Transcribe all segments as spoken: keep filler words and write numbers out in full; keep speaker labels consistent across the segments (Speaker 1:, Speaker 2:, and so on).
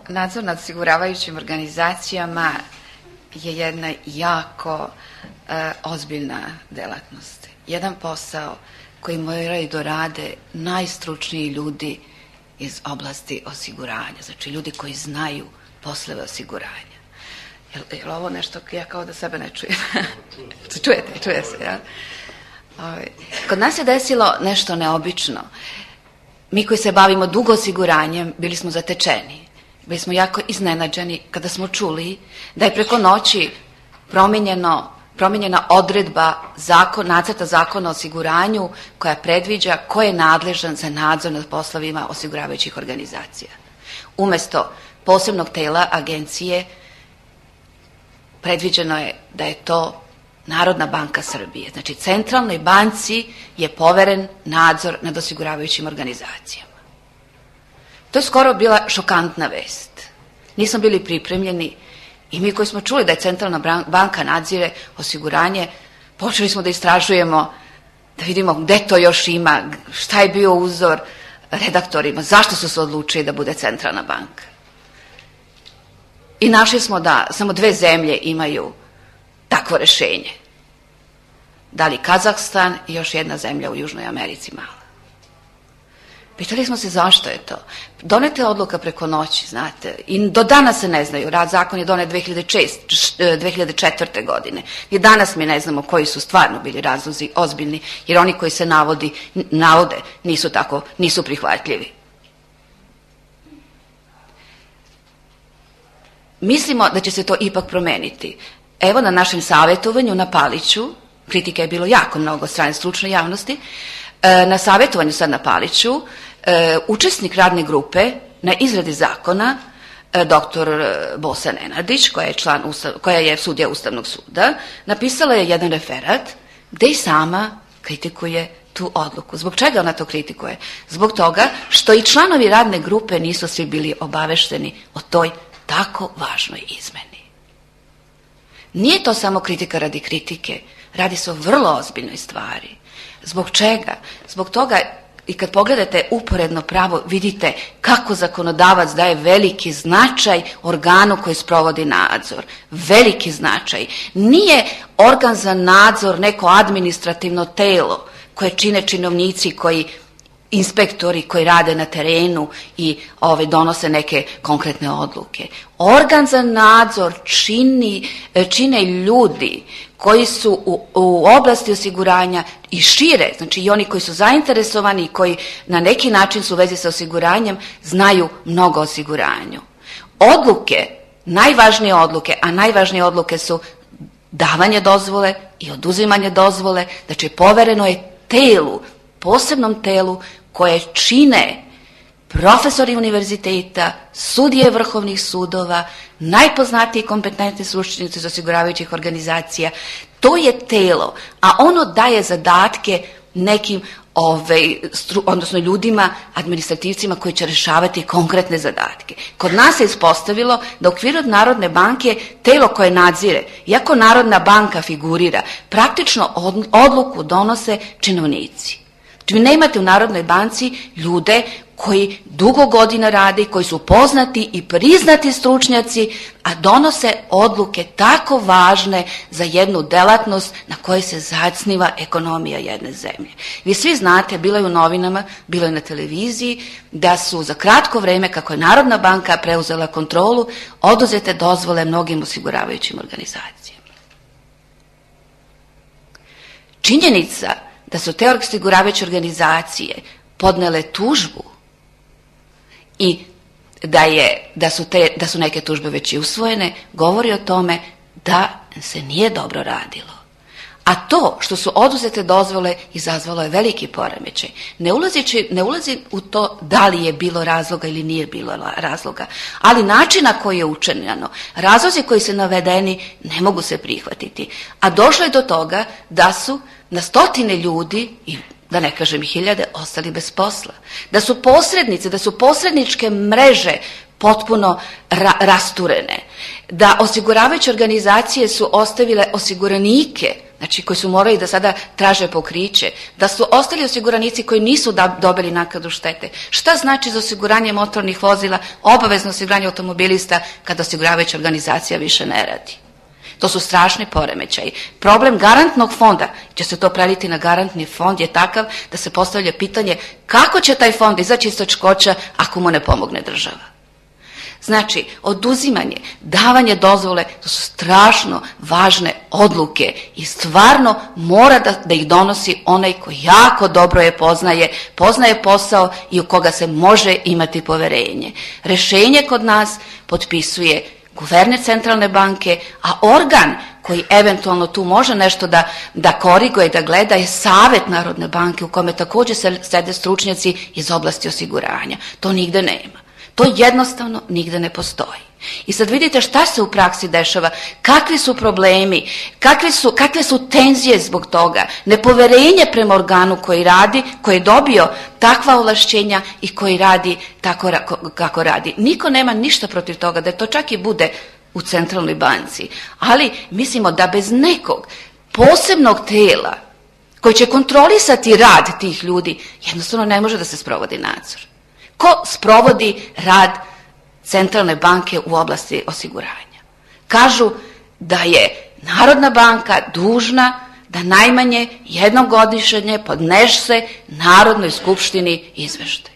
Speaker 1: nadzor nad osiguravajućim organizacijama je jedna jako e, ozbiljna delatnost. Jedan posao koji moraju da rade najstručniji ljudi iz oblasti osiguranja, znači ljudi koji znaju poslove osiguranja. Je li ovo nešto, ja kao da sebe ne čujem? Čujete, čuje se, ja? Kod nas je desilo nešto neobično. Mi koji se bavimo dugo osiguranjem, bili smo zatečeni. Bili smo jako iznenađeni kada smo čuli da je preko noći promenjeno, promenjena odredba zakon, nacrta zakona o osiguranju koja predviđa ko je nadležan za nadzor nad poslovima osiguravajućih organizacija. Umesto posebnog tela agencije predviđeno je da je to Narodna banka Srbije. Znači, centralnoj banci je poveren nadzor nad osiguravajućim organizacijama. To je skoro bila šokantna vest. Nismo bili pripremljeni i mi koji smo čuli da je centralna banka nadzire osiguranje, počeli smo da istražujemo, da vidimo gde to još ima, šta je bio uzor redaktorima, zašto su se odlučili da bude centralna banka. I našli smo da samo dve zemlje imaju takvo rešenje. Da li Kazahstan i još jedna zemlja u Južnoj Americi mala. Pitali smo se zašto je to. Doneta je odluka preko noći, znate, i do danas se ne znaju. Rad zakon je donet dve hiljade četvrte. godine. I danas mi ne znamo koji su stvarno bili razlozi ozbiljni, jer oni koji se navodi, navode nisu tako, nisu prihvatljivi. Mislimo da će se to ipak promeniti. Evo na našem savjetovanju na Paliću, kritika je bilo jako mnogo od strane stručne javnosti, na savjetovanju sad na Paliću, učesnik radne grupe na izradi zakona, doktor Bosa Nenadić, koja je, član, koja je sudija Ustavnog suda, napisala je jedan referat gde i sama kritikuje tu odluku. Zbog čega ona to kritikuje? Zbog toga što i članovi radne grupe nisu svi bili obavešteni o toj tako važnoj izmeni. Nije to samo kritika radi kritike, radi se o vrlo ozbiljnoj stvari. Zbog čega? Zbog toga i kad pogledate uporedno pravo, vidite kako zakonodavac daje veliki značaj organu koji sprovodi nadzor. Veliki značaj. Nije organ za nadzor neko administrativno telo koje čine činovnici koji inspektori koji rade na terenu i ove, donose neke konkretne odluke. Organ za nadzor čini, čine ljudi koji su u, u oblasti osiguranja i šire, znači i oni koji su zainteresovani i koji na neki način su u vezi sa osiguranjem, znaju mnogo o osiguranju. Odluke, najvažnije odluke, a najvažnije odluke su davanje dozvole i oduzimanje dozvole, znači povereno je telu, posebnom telu koje čine profesori univerziteta, sudije vrhovnih sudova, najpoznatiji kompetentni stručnjaci iz osiguravajućih organizacija. To je telo, a ono daje zadatke nekim, ovaj, stru, odnosno ljudima, administrativcima koji će rešavati konkretne zadatke. Kod nas se ispostavilo da u okviru Narodne banke telo koje nadzire, iako Narodna banka figurira, praktično odluku donose činovnici. Vi nemate u Narodnoj banci ljude koji dugo godina rade, koji su poznati i priznati stručnjaci, a donose odluke tako važne za jednu delatnost na kojoj se zasniva ekonomija jedne zemlje. Vi svi znate, bilo je u novinama, bilo je na televiziji, da su za kratko vreme, kako je Narodna banka preuzela kontrolu, oduzete dozvole mnogim osiguravajućim organizacijama. Činjenica da su te osiguravajuće organizacije podnele tužbu i da, je, da, su te, da su neke tužbe već i usvojene, govori o tome da se nije dobro radilo. A to što su oduzete dozvole izazvalo je veliki poremećaj. Ne ulazi, ne ulazi u to da li je bilo razloga ili nije bilo razloga, ali način na koji je učinjeno, razlozi koji su navedeni ne mogu se prihvatiti. A došlo je do toga da su na stotine ljudi, i da ne kažem hiljade, ostali bez posla. Da su posrednice, da su posredničke mreže potpuno ra- rasturene. Da osiguravajuće organizacije su ostavile osiguranike znači koji su morali da sada traže pokriće, da su ostali osiguranici koji nisu dobili naknadu štete. Šta znači za osiguranje motornih vozila, obavezno osiguranje automobilista kada osiguravajuća organizacija više ne radi? To su strašni poremećaji. Problem garantnog fonda, će se to preliti na garantni fond, je takav da se postavlja pitanje kako će taj fond izaći iz teškoća ako mu ne pomogne država. Znači, oduzimanje, davanje dozvole, to su strašno važne odluke i stvarno mora da, da ih donosi onaj koji jako dobro je poznaje, poznaje posao i u koga se može imati poverenje. Rješenje kod nas potpisuje guverner centralne banke, a organ koji eventualno tu može nešto da, da koriguje, da gleda je Savet Narodne banke u kome također sede stručnjaci iz oblasti osiguranja. To nigde nema. To jednostavno nigde ne postoji. I sad vidite šta se u praksi dešava, kakvi su problemi, kakve su, kakve su tenzije zbog toga, nepoverenje prema organu koji radi, koji je dobio takva ovlašćenja i koji radi tako kako radi. Niko nema ništa protiv toga da to čak i bude u centralnoj banci, ali mislimo da bez nekog posebnog tela koji će kontrolisati rad tih ljudi, jednostavno ne može da se sprovodi nadzor. Ko sprovodi rad centralne banke u oblasti osiguranja? Kažu da je Narodna banka dužna da najmanje jednom godišnje podnese Narodnoj skupštini izveštaj.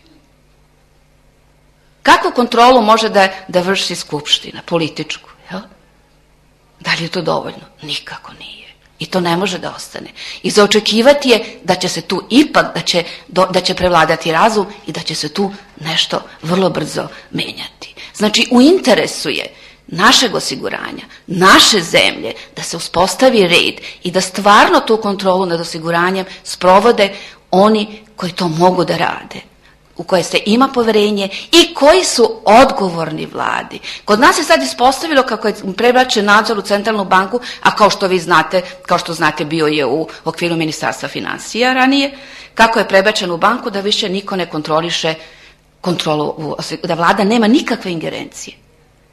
Speaker 1: Kakvu kontrolu može da, da vrši skupština, političku? Jel? Da li je to dovoljno? Nikako nije. I to ne može da ostane. I za očekivati je da će se tu ipak, da će, da će prevladati razum i da će se tu nešto vrlo brzo menjati. Znači, u interesu je našeg osiguranja, naše zemlje, da se uspostavi red i da stvarno tu kontrolu nad osiguranjem sprovode oni koji to mogu da rade, u koje se ima poverenje i koji su odgovorni vladi. Kod nas je sad ispostavilo kako je prebačen nadzor u centralnu banku, a kao što vi znate, kao što znate bio je u okviru Ministarstva financija ranije, kako je prebačen u banku da više niko ne kontroliše kontrolu, da vlada nema nikakve ingerencije.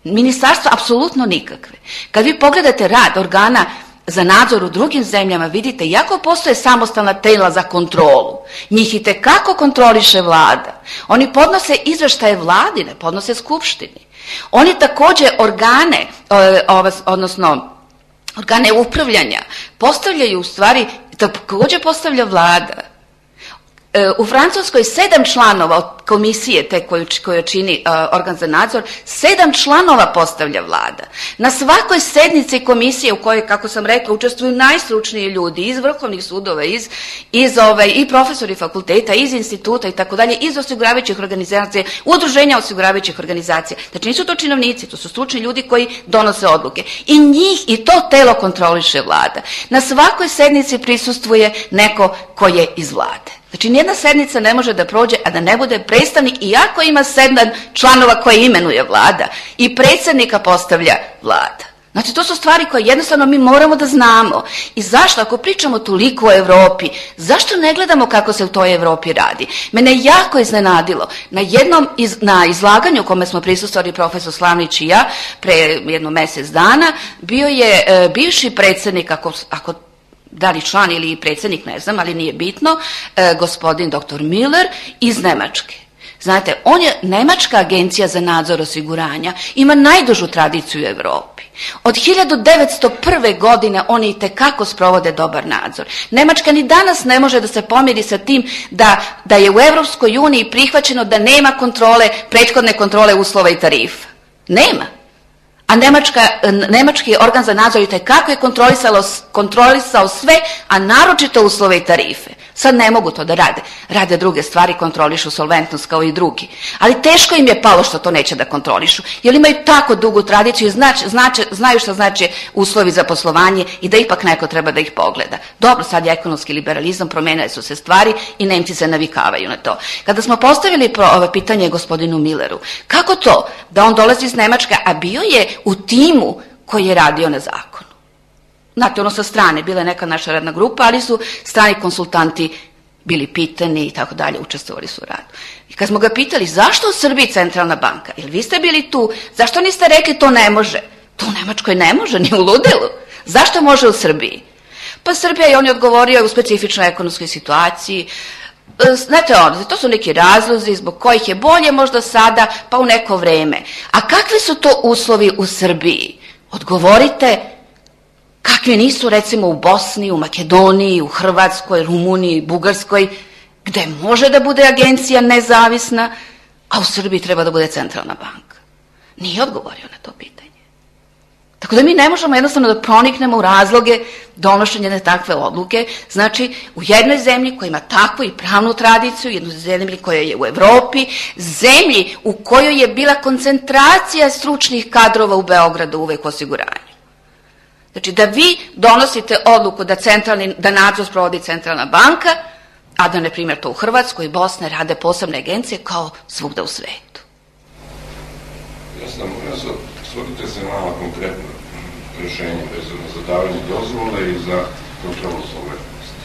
Speaker 1: Ministarstvo apsolutno nikakve. Kad vi pogledate rad organa za nadzor u drugim zemljama, vidite, iako postoje samostalna tela za kontrolu, njih i tekako kontroliše vlada. Oni podnose izveštaje vladi, ne podnose skupštini. Oni također organe, odnosno organe upravljanja, postavljaju u stvari, također postavlja vlada. U Francuskoj sedam članova od komisije te koju, koju čini uh, organ za nadzor, sedam članova postavlja vlada. Na svakoj sednici komisije u kojoj, kako sam rekla, učestvuju najstručniji ljudi iz vrhovnih sudova, iz, iz ove, i profesori fakulteta, iz instituta i tako dalje, iz osiguravajućih organizacija, udruženja osiguravajućih organizacija. Znači nisu to činovnici, to su stručni ljudi koji donose odluke. I njih i to telo kontroliše vlada. Na svakoj sednici prisustvuje neko ko je iz vlade. Znači, nijedna sednica ne može da prođe, a da ne bude predstavnik, iako ima sedam članova koje imenuje vlada i predsjednika postavlja vlada. Znači, to su stvari koje jednostavno mi moramo da znamo. I zašto, ako pričamo toliko o Europi, zašto ne gledamo kako se u toj Europi radi? Mene je jako iznenadilo. Na jednom iz, na izlaganju u kome smo prisustvovali profesor Slavnić i ja, pre jedno mjesec dana, bio je e, bivši predsjednik, ako, ako da li član ili predsjednik, ne znam, ali nije bitno, e, gospodin doktor Miller iz Nemačke. Znate, on je Nemačka agencija za nadzor osiguranja, ima najdužu tradiciju u Europi. Od hiljadu devetsto prve. godine oni itekako sprovode dobar nadzor. Njemačka ni danas ne može da se pomiri sa tim da, da je u Europskoj uniji prihvaćeno da nema kontrole, prethodne kontrole uslova i tarifa. Nema. A Nemačka, Nemački organ za nadzor itekako je kontrolisao, kontrolisao sve, a naročito uslove i tarife. Sad ne mogu to da rade. Rade druge stvari, kontrolišu solventnost kao i drugi. Ali teško im je palo što to neće da kontrolišu. Jer imaju tako dugu tradiciju i znač, znač, znaju što znači uslovi za poslovanje i da ipak neko treba da ih pogleda. Dobro, sad je ekonomski liberalizam, promenile su se stvari i Nemci se navikavaju na to. Kada smo postavili ovo pitanje gospodinu Milleru, kako to da on dolazi iz Nemačke, a bio je u timu koji je radio na zakonu? Znate, ono sa strane, bila je neka naša radna grupa, ali su strani konsultanti bili pitani i tako dalje, učestvovali su u radu. I kad smo ga pitali, zašto u Srbiji centralna banka? Jer vi ste bili tu, zašto niste rekli to ne može? To u Nemačkoj ne može, ni u ludilu. Zašto može u Srbiji? Pa Srbija, je on je odgovorio, u specifičnoj ekonomskoj situaciji. Znate ono, to su neki razlozi zbog kojih je bolje možda sada pa u neko vreme. A kakvi su to uslovi u Srbiji? Odgovorite, kakvi nisu recimo u Bosni, u Makedoniji, u Hrvatskoj, Rumuniji, Bugarskoj, gde može da bude agencija nezavisna, a u Srbiji treba da bude centralna banka. Nije odgovorio na to pitanje. Tako da mi ne možemo jednostavno da proniknemo u razloge donošenja takve odluke. Znači, u jednoj zemlji koja ima takvu i pravnu tradiciju, jednoj zemlji koja je u Evropi, zemlji u kojoj je bila koncentracija stručnih kadrova u Beogradu uvek u osiguranju. Znači, da vi donosite odluku da, centralni, da nadzor sprovodi centralna banka, a da, na primjer, to u Hrvatskoj i Bosni rade posebne agencije kao svugda u svetu.
Speaker 2: Jasno, moram se osvrnite se na malo konkretno rešenje vezano za davanje dozvole i za kontrolu solventnosti.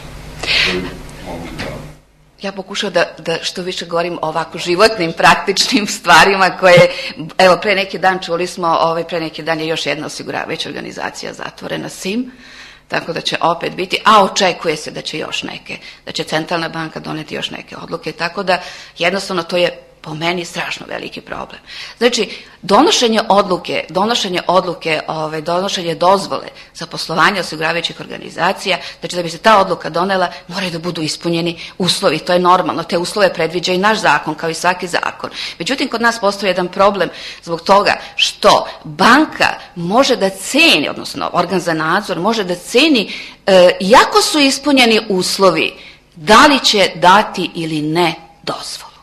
Speaker 2: Koji mogu da...
Speaker 1: Ja pokušam da, da što više govorim o ovako životnim, praktičnim stvarima koje, evo, pre neki dan čuli smo, ovaj, pre neki dan je još jedna osiguravajuća organizacija zatvorena, S I M, tako da će opet biti, a očekuje se da će još neke, da će centralna banka doneti još neke odluke, tako da jednostavno to je po meni strašno veliki problem. Znači, donošenje odluke, donošenje odluke, ovaj, donošenje dozvole za poslovanje osiguravajućih organizacija, znači da bi se ta odluka donela, moraju da budu ispunjeni uslovi, to je normalno, te uslove predviđa i naš zakon, kao i svaki zakon. Međutim, kod nas postoji jedan problem zbog toga što banka može da ceni, odnosno organ za nadzor može da ceni, e, iako su ispunjeni uslovi, da li će dati ili ne dozvolu.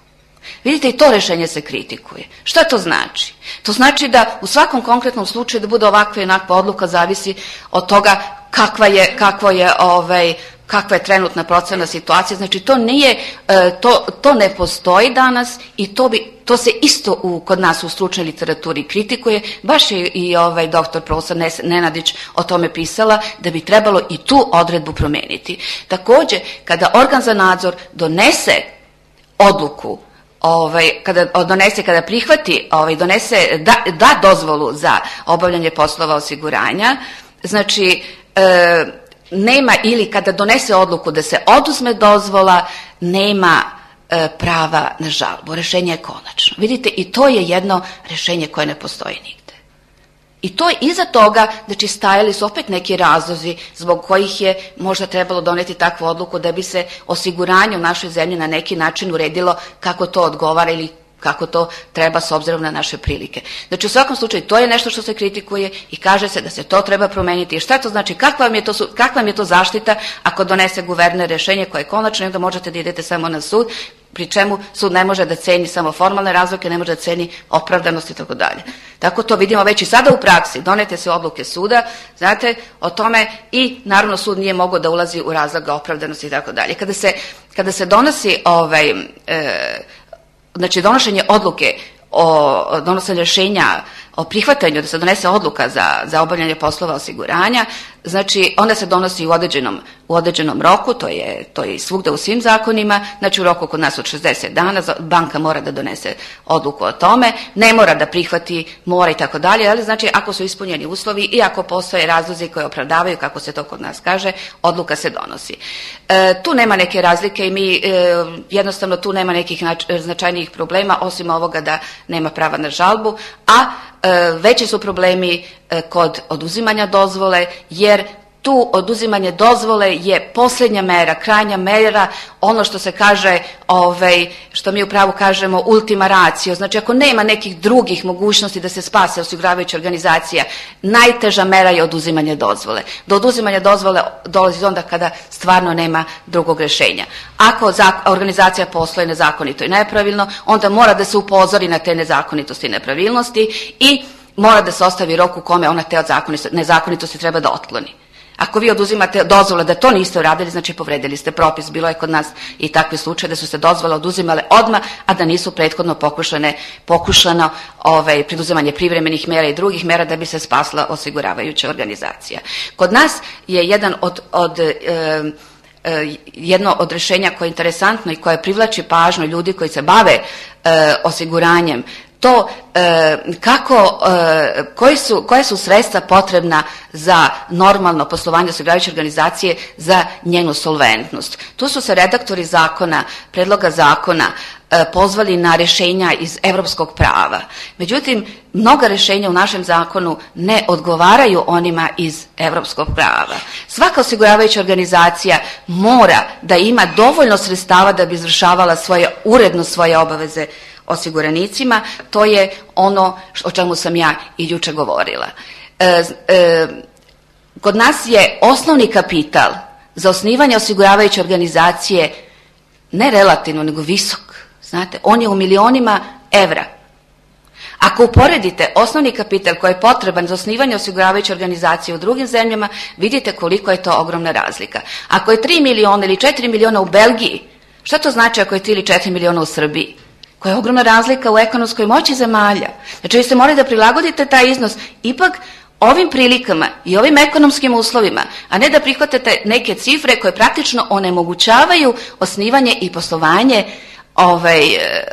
Speaker 1: Vidite, i to rešenje se kritikuje. Šta to znači? To znači da u svakom konkretnom slučaju da bude ovakva i onakva odluka zavisi od toga kakva je, kakvo je, ovaj, kakva je trenutna procena situacija. Znači, to nije, to, to ne postoji danas i to, bi, to se isto u, kod nas u stručnoj literaturi kritikuje. Baš je i ovaj doktor profesor Nenadić o tome pisala da bi trebalo i tu odredbu promeniti. Takođe, kada organ za nadzor donese odluku, Ovaj, kada donese, kada prihvati, ovaj, donese, da, da dozvolu za obavljanje poslova osiguranja, znači e, nema, ili kada donese odluku da se oduzme dozvola, nema e, prava na žalbu. Rešenje je konačno. Vidite, i to je jedno rešenje koje ne postoji nigde. I to iza toga, znači, stajali su opet neki razlozi zbog kojih je možda trebalo doneti takvu odluku da bi se osiguranje u našoj zemlji na neki način uredilo kako to odgovara ili kako to treba s obzirom na naše prilike. Znači, u svakom slučaju, to je nešto što se kritikuje i kaže se da se to treba promeniti. I šta to znači? Kakva vam je to, kakva vam je to zaštita ako donese guverner rešenje koje je konačno i onda možete da idete samo na sud, pri čemu sud ne može da ceni samo formalne razloge, ne može da ceni opravdanost i tako dalje. Tako to vidimo već i sada u praksi. Donete se odluke suda, znate, o tome, i naravno sud nije mogao da ulazi u razloga opravdanosti i tako dalje. Kada se, kada se donosi ovaj, e, znači donošenje odluke o donošenju rešenja o prihvatanju da se donese odluka za, za obavljanje poslova osiguranja, znači onda se donosi u određenom, u određenom roku, to je, to je svugda u svim zakonima, znači u roku kod nas od šezdeset dana banka mora da donese odluku o tome, ne mora da prihvati, mora i tako dalje, ali znači ako su ispunjeni uslovi i ako postoje razlozi koji opravdavaju, kako se to kod nas kaže, odluka se donosi. E, tu nema neke razlike i mi e, jednostavno tu nema nekih značajnijih problema osim ovoga da nema prava na žalbu, a veći su problemi kod oduzimanja dozvole, jer tu oduzimanje dozvole je posljednja mera, krajnja mera, ono što se kaže, ovaj, što mi u pravu kažemo ultima ratio, znači ako nema nekih drugih mogućnosti da se spase osiguravajuća organizacija, najteža mera je oduzimanje dozvole. Do oduzimanja dozvole dolazi onda kada stvarno nema drugog rešenja. Ako organizacija posluje nezakonito i nepravilno, onda mora da se upozori na te nezakonitosti i nepravilnosti i mora da se ostavi rok u kome ona te nezakonitosti treba da otkloni. Ako vi oduzimate dozvole da to niste uradili, znači povredili ste propis. Bilo je kod nas i takvi slučaj da su se dozvole oduzimale odmah, a da nisu prethodno pokušane, pokušano ovaj, preduzimanje privremenih mera i drugih mera da bi se spasla osiguravajuća organizacija. Kod nas je jedan od, od e, e, jedno od rešenja koje je interesantno i koje privlači pažnju ljudi koji se bave e, osiguranjem, to e, kako, e, koji su, koja su sredstva potrebna za normalno poslovanje osiguravajuće organizacije za njenu solventnost. Tu su se redaktori zakona, predloga zakona e, pozvali na rješenja iz europskog prava. Međutim, mnoga rješenja u našem zakonu ne odgovaraju onima iz europskog prava. Svaka osiguravajuća organizacija mora da ima dovoljno sredstava da bi izvršavala svoje, uredno svoje obaveze osiguranicima. To je ono o čemu sam ja i jučer govorila. E, e, kod nas je osnovni kapital za osnivanje osiguravajuće organizacije ne relativno, nego visok. Znate, on je u milionima evra. Ako uporedite osnovni kapital koji je potreban za osnivanje osiguravajuće organizacije u drugim zemljama, vidite koliko je to ogromna razlika. Ako je tri miliona ili četiri miliona u Belgiji, šta to znači ako je tri ili četiri miliona u Srbiji? Koja je ogromna razlika u ekonomskoj moći zemalja. Znači vi ste morali da prilagodite taj iznos ipak ovim prilikama i ovim ekonomskim uslovima, a ne da prihvatate neke cifre koje praktično onemogućavaju osnivanje i poslovanje ovaj,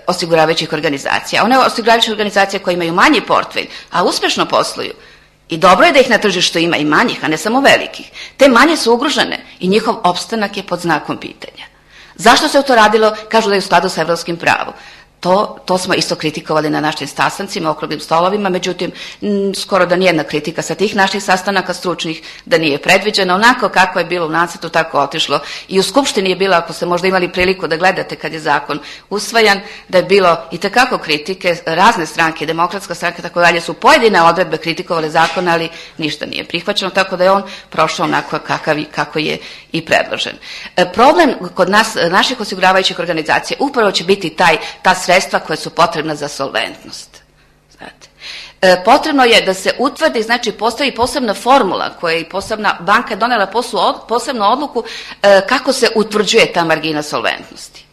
Speaker 1: osiguravajućih organizacija. One osiguravajuće organizacije koje imaju manji portfelj, a uspješno posluju, i dobro je da ih na tržištu ima i manjih, a ne samo velikih, te manje su ugrožene i njihov opstanak je pod znakom pitanja. Zašto se to radilo? Kažu da je u skladu sa evropskim pravom. To, to smo isto kritikovali na našim sastancima, okruglim stolovima, međutim, m, skoro da nijedna kritika sa tih naših sastanaka stručnih da nije predviđena. Onako kako je bilo u nacrtu, tako otišlo. I u Skupštini je bilo, ako ste možda imali priliku da gledate kad je zakon usvajan, da je bilo itekako kritike, razne stranke, demokratska stranka, tako dalje, su pojedine odredbe kritikovali zakon, ali ništa nije prihvaćeno, tako da je on prošao onako kakav, kako je i predložen. E, problem kod nas, naših osiguravajućih organizacija, upravo će biti taj, ta sredstva koja su potrebna za solventnost. Znate. E, potrebno je da se utvrdi, znači postoji posebna formula koja je posebna banka donela poslu, posebnu odluku e, kako se utvrđuje ta margina solventnosti.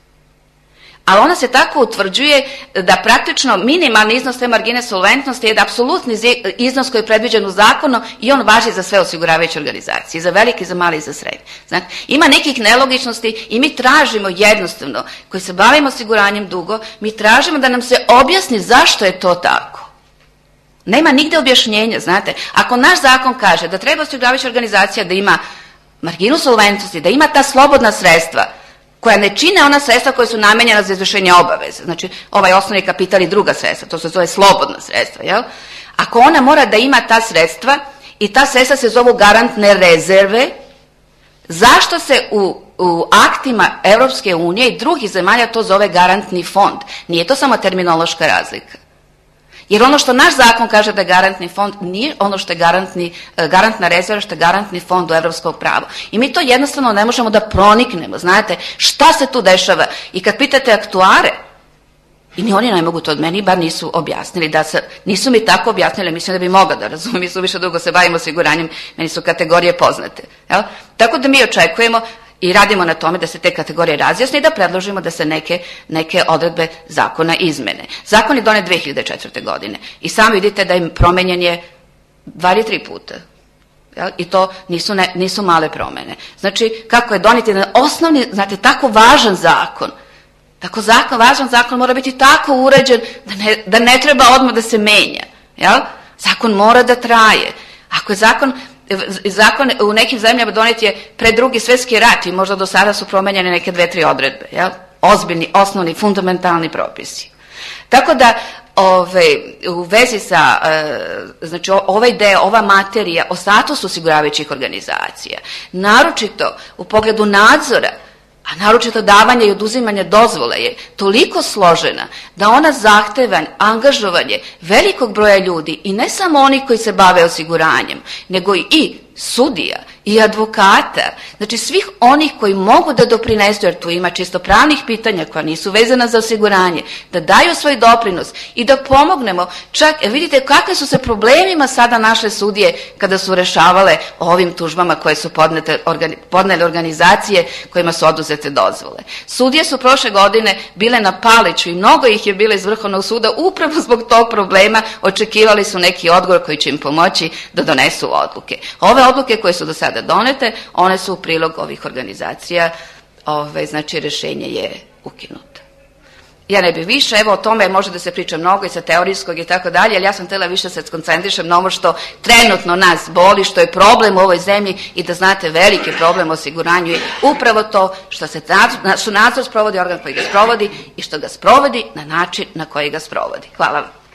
Speaker 1: Ali ona se tako utvrđuje da praktično minimalni iznos te margine solventnosti je da apsolutni iznos koji je predviđen u zakonu i on važi za sve osiguravajuće organizacije, za velike, za male i za srednje. Znate, ima nekih nelogičnosti i mi tražimo jednostavno, koji se bavimo osiguranjem dugo, mi tražimo da nam se objasni zašto je to tako. Nema nigde objašnjenja, znate. Ako naš zakon kaže da treba osiguravajuća organizacija da ima marginu solventnosti, da ima ta slobodna sredstva, koja ne čine ona sredstva koja su namenjena za izvršenje obaveza. Znači, ovaj osnovni kapital i druga sredstva, to se zove slobodna sredstva, jel? Ako ona mora da ima ta sredstva i ta sredstva se zovu garantne rezerve, zašto se u, u aktima Europske unije i drugih zemalja to zove garantni fond? Nije to samo terminološka razlika. Jer ono što naš zakon kaže da je garantni fond nije ono što je garantni, garantna rezerva, što je garantni fond u evropskom pravu. I mi to jednostavno ne možemo da proniknemo. Znate, šta se tu dešava? I kad pitate aktuare, i ni oni ne mogu to od meni, bar nisu objasnili, da se, nisu mi tako objasnili, mislim da bi mogla da razumijem, mi su više dugo se bavimo osiguranjem, meni su kategorije poznate. Jel? Tako da mi očekujemo i radimo na tome da se te kategorije razjasne i da predložimo da se neke, neke odredbe zakona izmene. Zakon je donet dve hiljade četvrte. godine i sami vidite da im promenjen je dva ili tri puta. Jel? I to nisu, ne, nisu male promene. Znači, kako je donet jedan osnovni, znate, tako važan zakon, tako zakon, važan zakon mora biti tako uređen da ne, da ne treba odmah da se menja. Jel? Zakon mora da traje. Ako je zakon Zakon u nekim zemljama donet je pred Drugi svjetski rat i možda do sada su promenjene neke dve, tri odredbe. Jel? Ozbiljni, osnovni, fundamentalni propisi. Tako da ove, u vezi sa, e, znači ovaj deo, ova materija o statusu osiguravajućih organizacija, naročito u pogledu nadzora, a naročito davanje i oduzimanje dozvole je toliko složena da ona zahteva angažovanje velikog broja ljudi i ne samo onih koji se bave osiguranjem, nego i sudija i advokata, znači svih onih koji mogu da doprinesu, jer tu ima čisto pravnih pitanja koja nisu vezana za osiguranje, da daju svoj doprinos i da pomognemo. Čak, vidite kakve su se problemima sada naše sudije kada su rešavale o ovim tužbama koje su podnete, organi, podnele organizacije kojima su oduzete dozvole. Sudije su prošle godine bile na paliću i mnogo ih je bilo iz Vrhovnog suda upravo zbog tog problema, očekivali su neki odgovor koji će im pomoći da donesu odluke. Ove odluke koje su do sada donete, one su u prilog ovih organizacija, ove, znači rješenje je ukinuto. Ja ne bih više, evo o tome može da se priča mnogo i sa teorijskog i tako dalje, ali ja sam htjela više se skoncentrišem na ovo što trenutno nas boli, što je problem u ovoj zemlji i da znate veliki problem u osiguranju je upravo to što se nadzor, što nadzor sprovodi organ koji ga sprovodi i što ga sprovodi na način na koji ga sprovodi. Hvala vam.